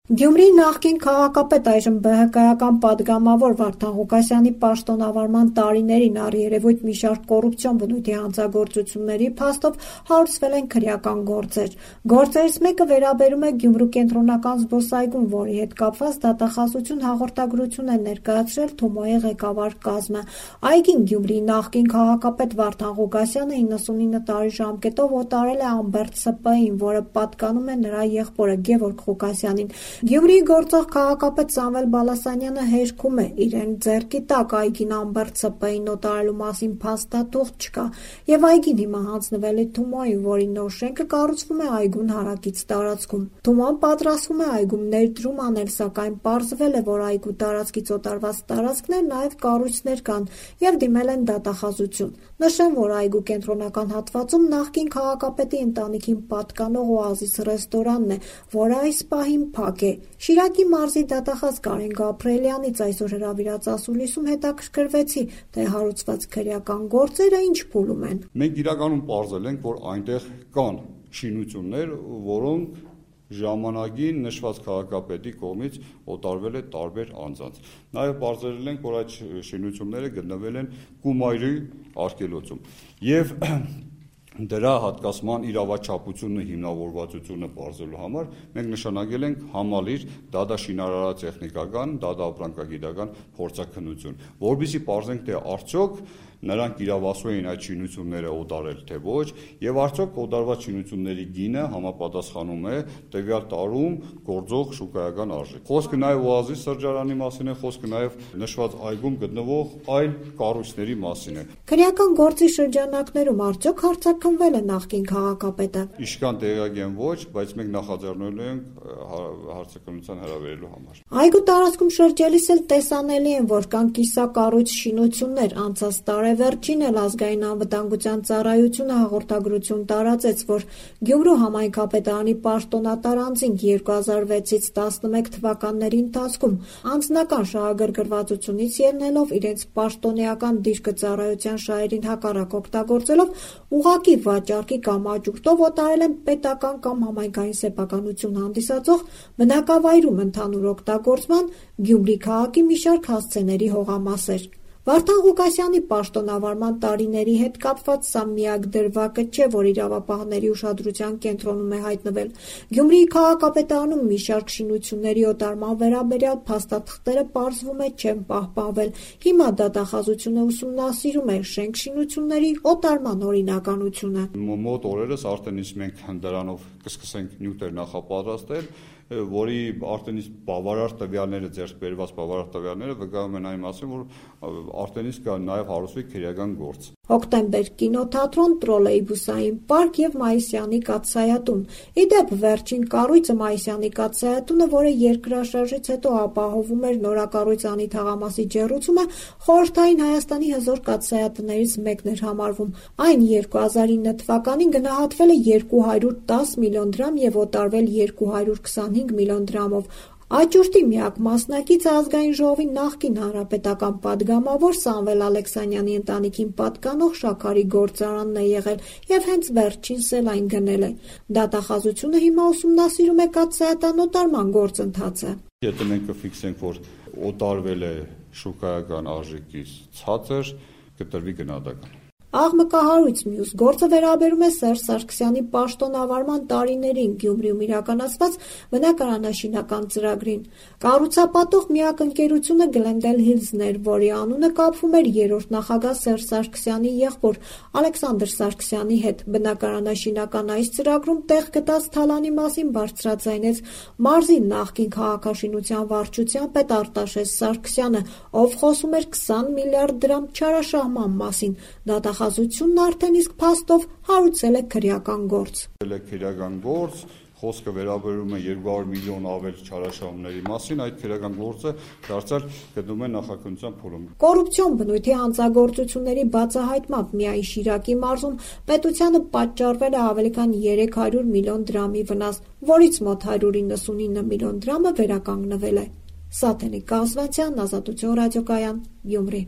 Գյումրիի նախկին քաղաքապետ, այժմ ԲՀԿ-ական պատգամավոր Վարդան Ղուկասյանի պաշտոնավարման տարիներին առերևույթ մի շարք կոռուպցիոն բնույթի հանցագործությունների փաստով հարուցվել են քրեական գործեր։ Գործերից մեկը վերաբերում է Գյումրու կենտրոնական զբոսայգուն, որի հետ կապված դատախազություն հաղորդագրություն է ներկայացրել ԹՈՒՄՕ-ի ղեկավար կազմը։ Այգին Գյումրիի նախկին քաղաքապետ Վարդան Ղուկասյանը 99 տարի ժամկետով օտարել է Ամբերտ ՍՊ-ին, որը պատկանում է նրա եղբորը Գևորգ Ղուկասյանին։ Գյումրիի գործող քաղաքապետ Սամվել Բալասանյանը հերքում է իրեն ձեռքի տակ այգին Ամբերտ ՍՊ-ին օտարելու մասին փաստաթուղթ չկա, եւ այգին հիմա հանձնվել է ԹՈՒՄՕ-ին, որի նոր շենքը կառուցվում է այգուն հարակից տարածքում։ ԹՈՒՄՕ-ն պատրաստվում է այգում ներդրում անել, սակայն պարզվել է, որ այգու տարածքից օտարված տարածքներ նաեւ կառույցներ կան եւ դիմել են դատախազություն։ Նշեմ, որ այգու կենտրոնական հատվածում նախկին քաղաքապետի ընտանիքին պատկանող Օազիս ռեստորանն է, որը այս պահին փակ է։ Շիրակի մարզի դատախազ Կարեն Գաբրիելյանից այսօր հրավիրած ասուլիսում հետաքրքրվեցի, թե հարուցված քրեական գործերը ինչ փուլում են։ Մենք իրականում պարզել ենք, որ այնտեղ կան շինություններ, որոնք ժամանակին նշված քաղաքապետի կողմից օտարվել է տարբեր անձանց։ Նաև պարզել ենք, որ այդ շինությունները գտնվել են Կումայրի արգելոցում։ Եվ դրա հատկացման իրավաչափությունը, հիմնավորվածությունը պարզելու համար մենք նշանակել ենք համալիր դատաշինարարատեխնիկական, դատաապրանքագիտական փորձաքննություն, որովհետեւ պարզենք, թե արդյոք նրանք իրավասու էին այդ շինությունները օտարել, թե ոչ, եւ արդյոք օտարված շինությունների գինը համապատասխանում է տվյալ տարում գործող շուկայական արժեքին։ Խոսքը նաեւ Օազի սրճարանի մասին է, խոսքը նաեւ նշված այգում գտնվող այլ կառույցների մասին է։ Քրեական գործի շրջանակներում արդյոք հարձակվել է նախկին քաղաքապետը։ Իշքան տեղյակ են ոչ, բայց մենք նախաձեռնելու ենք հարցակնության հրավիրելու համար։ Այգու տարածքում շրջելիս էլ տեսանելի են, որ կան կիսակառույց շինություններ, անցած տարեվերջին էլ ազգային անվտանգության ծառայությունը հաղորդագրություն տարածեց, որ Գյումրու համայնքապետարանի պաշտոնատար անձինք 2006-ից 11 թվականների ընթացքում անձնական շահագրգռվածությունից ելնելով իրենց պաշտոնեական դիրքը ծառայության շահերին հակառակ օգտագործելով ուղղակի վաճառքի կամ աճուրդով օտարել են պետական կամ համայնքային սեփականություն հանդիսացող բնակավայրում ընդհանուր օգտագործման Գյումրի քաղաքի մի շարք հասցեների հողամասեր։ Վարդան Ղուկասյանի պաշտոնավարման տարիների հետ կապված սա միակ դրվագը չէ, որ իրավապահների ուշադրության կենտրոնում է հայտնվել։ Գյումրիի քաղաքապետարանում մի շարք շինությունների օտարման վերաբերյալ փաստաթղթերը պարզվում է չեն պահպանվել։ Հիմա դատախազությունը ուսումնասիրում է շենք-շինությունների օտարման օրինականությունը։ Մոտ օրերս արդեն իսկ մենք դրանով կսկսենք նյութեր նախապատրաստել, որի արդեն իսկ բավարար տվյալները, ձեռք բերված բավարար տվյալները վկայում են այն մասին, որ արդեն իսկ նաև հարուցվի քրեական գործ։ Հոկտեմբեր կինոթատրոն, տրոլեյբուսային պարկ եւ Մայիսյանի կաթսայատուն։ Իդեպ վերջին կառույցը Մայիսյանի կաթսայատունը, որը երկրաշարժից հետո ապահովում էր նորակառույց Անի թաղամասի ջեռուցումը, խորհրդային Հայաստանի հզոր կաթսայատներից մեկն էր համարվում։ Այն 2009 թվականին գնահատվել է 210 միլիոն դրամ եւ օտարվել 225 միլիոն դրամով։ Աճուրդի միակ մասնակիցը ազգային ժողովի նախկին հանրապետական պատգամավոր Սամվել Ալեքսանյանի ընտանիքին պատկանող Շաքարի գործարանն է եղել եւ հենց վերջինս էլ այն գնել է։ Դատախազությունը հիմա ուսումնասիրում է կաթսայատան օտարման գործընթացը։ Եթե մենք կֆիքսենք, որ օտարվել է շուկայական արժեքից ցածր, կտրվի գնահատական։ Աղմկահարույց մյուս գործը վերաբերում է Սերժ Սարգսյանի պաշտոնավարման տարիներին Գյումրիում իրականացված բնակարանաշինական ծրագրին։ Կառուցապատող միակ ընկերությունը Glendale Hills-ն էր, որի անունը կապվում էր երրորդ նախագահ Սերժ Սարգսյանի եղբոր Ալեքսանդր Սարգսյանի հետ։ Բնակարանաշինական այս ծրագրում տեղ գտած թալանի մասին բարձրաձայնեց մարզի նախկին քաղաքաշինության վարչության պետ Արտաշես Սարգսյանը, ով խոսում էր 20 միլիարդ դրամ չարաշահման մասին։ Դատախազությունն արդեն իսկ փաստով հարուցել է քրեական գործ։ Քրեական գործ, խոսքը վերաբերում է 200 միլիոն ավել չարաշահումների մասին, այդ քրեական գործը դարձյալ գտնվում է նախաքննության փուլում։ Կոռուպցիոն բնույթի հանցագործությունների բացահայտմամբ միայն Շիրակի մարզում պետությանը պատճառվել է ավելի քան 300 միլիոն դրամի վնաս, որից մոտ 199 միլիոն դրամը վերականգնվել է։ Սաթենիկ Կազվանցյան, Ազատություն ռադիոկայան, Գյումրի։